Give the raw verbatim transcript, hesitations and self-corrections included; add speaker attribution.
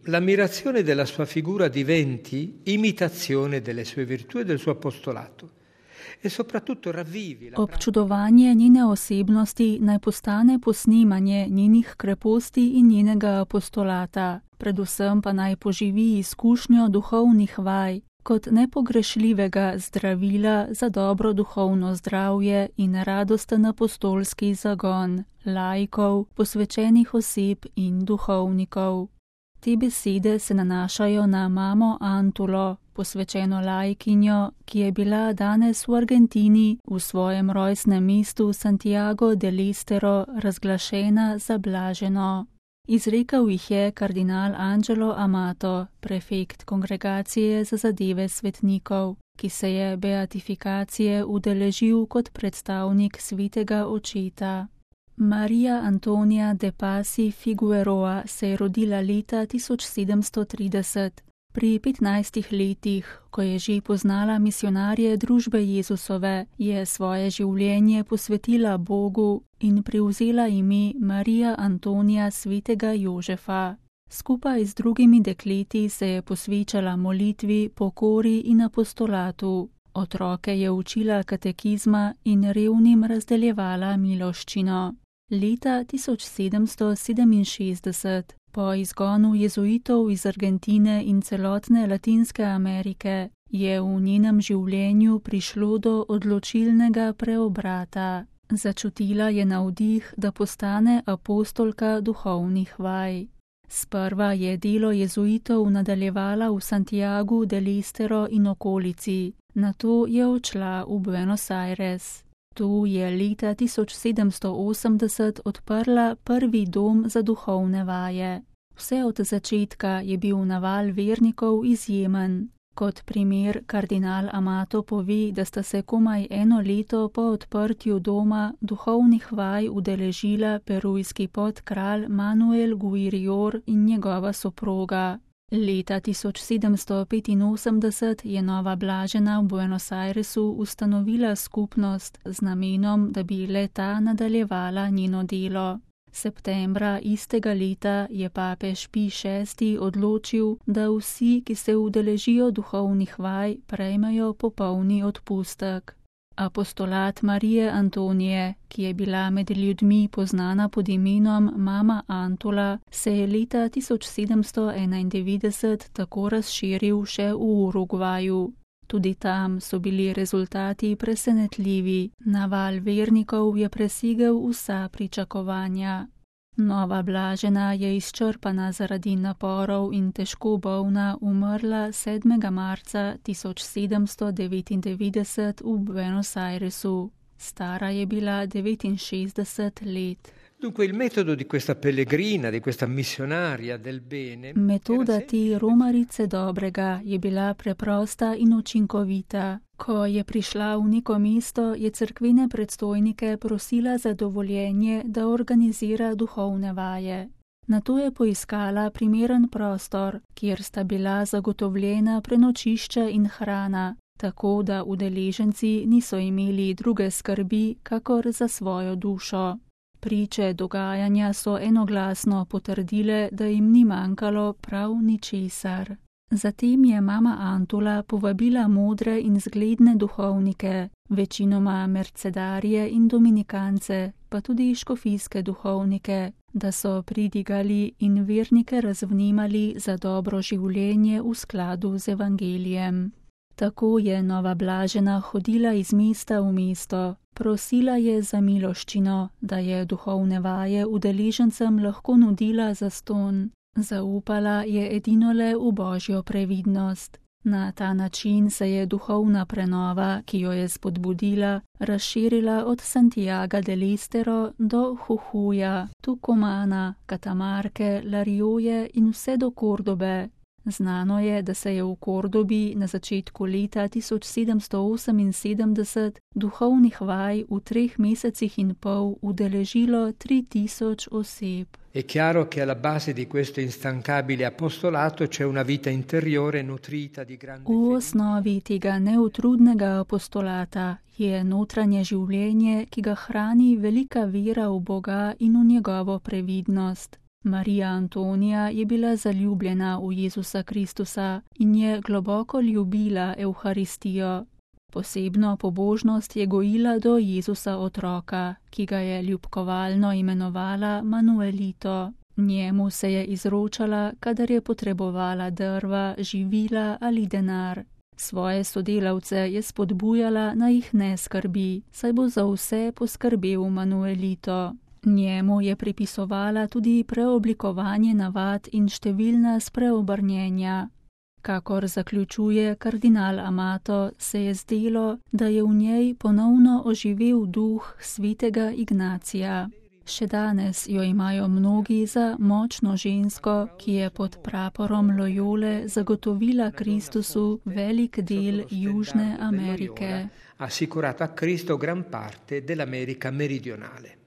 Speaker 1: l'ammirazione della sua figura diventi imitazione delle sue virtù e del suo apostolato. E soprattutto ravvivi la
Speaker 2: Občudovanje njene osebnosti naj postane posnemanje njenih kreposti in njenega apostolata, predvsem pa naj poživi izkušnjo duhovnih vaj kot nepogrešljivega zdravila za dobro duhovno zdravje in radosten apostolski zagon laikov, posvečenih oseb in duhovnikov. Te besede se nanašajo na mamo Antulo, posvečeno laikinjo, ki je bila danes v Argentini v svojem rojstnem mestu Santiago del Estero razglašena za blaženo. Izrekel jih je kardinal Angelo Amato, prefekt Kongregacije za zadeve svetnikov, ki se je beatifikacije udeležil kot predstavnik svetega očeta. Maria Antonia de Pasi Figueroa se je rodila leta tisoč sedemsto trideset. Pri petnajstih letih, ko je že poznala misionarje družbe Jezusove, je svoje življenje posvetila Bogu in prevzela ime Marija Antonija svetega Jožefa. Skupaj z drugimi dekleti se je posvečala molitvi, pokori in apostolatu. Otroke je učila katekizma in revnim razdeljevala miloščino. Leta tisoč sedemsto sedeminšestdeset, po izgonu jezuitov iz Argentine in celotne Latinske Amerike, je v njenem življenju prišlo do odločilnega preobrata. Začutila je navdih, da postane apostolka duhovnih vaj. Sprva je delo jezuitov nadaljevala v Santiagu del Estero in okolici, nato je odšla v Buenos Aires. Tu je leta tisoč sedemsto osemdeset odprla prvi dom za duhovne vaje. Vse od začetka je bil naval vernikov izjemen. Kot primer kardinal Amato pove, da sta se komaj eno leto po odprtju doma duhovnih vaj udeležila perujski podkralj Manuel Guirior in njegova soproga. Leta tisoč sedemsto petinosemdeset je nova blažena v Buenos Airesu ustanovila skupnost z namenom, da bi le-ta nadaljevala njeno delo. Septembra istega leta je papež Pij šesti odločil, da vsi, ki se udeležijo duhovnih vaj, prejmejo popolni odpustek. Apostolat Marije Antonije, ki je bila med ljudmi poznana pod imenom Mama Antula, se je leta tisoč sedemsto enaindevetdeset tako razširil še v Urugvaju. Tudi tam so bili rezultati presenetljivi. Naval vernikov je presegel vsa pričakovanja. Nova blažena je izčrpana zaradi naporov in težko bolna umrla sedmega marca tisoč sedemsto devetindevetdeset v Buenos Airesu. Stara je bila devetinšestdeset let.
Speaker 1: Dunque il metodo di questa pellegrina, di questa missionaria del bene.
Speaker 2: Metoda te romarice dobrega je bila preprosta in učinkovita. Ko je prišla v neko mesto, je cerkvene predstojnike prosila za dovoljenje, da organizira duhovne vaje. Nato je poiskala primeren prostor, kjer sta bila zagotovljena prenočišče in hrana, tako da udeleženci niso imeli druge skrbi, kakor za svojo dušo. Priče dogajanja so enoglasno potrdile, da jim ni manjkalo prav ničesar. Zatem je mama Antula povabila modre in zgledne duhovnike, večinoma mercedarje in dominikance, pa tudi škofijske duhovnike, da so pridigali in vernike razvnemali za dobro življenje v skladu z evangelijem. Tako je nova blažena hodila iz mesta v mesto. Prosila je za miloščino, da je duhovne vaje udeležencem lahko nudila zastonj. Zaupala je edinole v Božjo previdnost. Na ta način se je duhovna prenova, ki jo je spodbudila, razširila od Santiaga del Estero do Jujuja, Tucumana, Catamarke, La Rioje in vse do Kordobe. Znano je, da se je v Kordobi na začetku leta tisoč sedemsto oseminsedemdeset duhovnih vaj v treh mesecih in pol udeležilo tri tisoč oseb.
Speaker 1: È chiaro che alla base di questo instancabile apostolato c'è una vita interiore nutrita di grande
Speaker 2: V osnovi tega neutrudnega apostolata je notranje življenje, ki ga hrani velika vera v Boga in v njegovo previdnost. Marija Antonija je bila zaljubljena v Jezusa Kristusa in je globoko ljubila Evharistijo. Posebno pobožnost je gojila do Jezusa otroka, ki ga je ljubkovalno imenovala Manuelito. Njemu se je izročala, kadar je potrebovala drva, živila ali denar. Svoje sodelavce je spodbujala, naj jih ne skrbi, saj bo za vse poskrbel Manuelito. Njemu je pripisovala tudi preoblikovanje navad in številna spreobrnjenja. Kakor zaključuje kardinal Amato, se je zdelo, da je v njej ponovno oživel duh svetega Ignacija. Še danes jo imajo mnogi za močno žensko, ki je pod praporom Loyole zagotovila Kristusu velik del Južne Amerike.
Speaker 1: Assicurato a Cristo gran parte dell'America meridionale.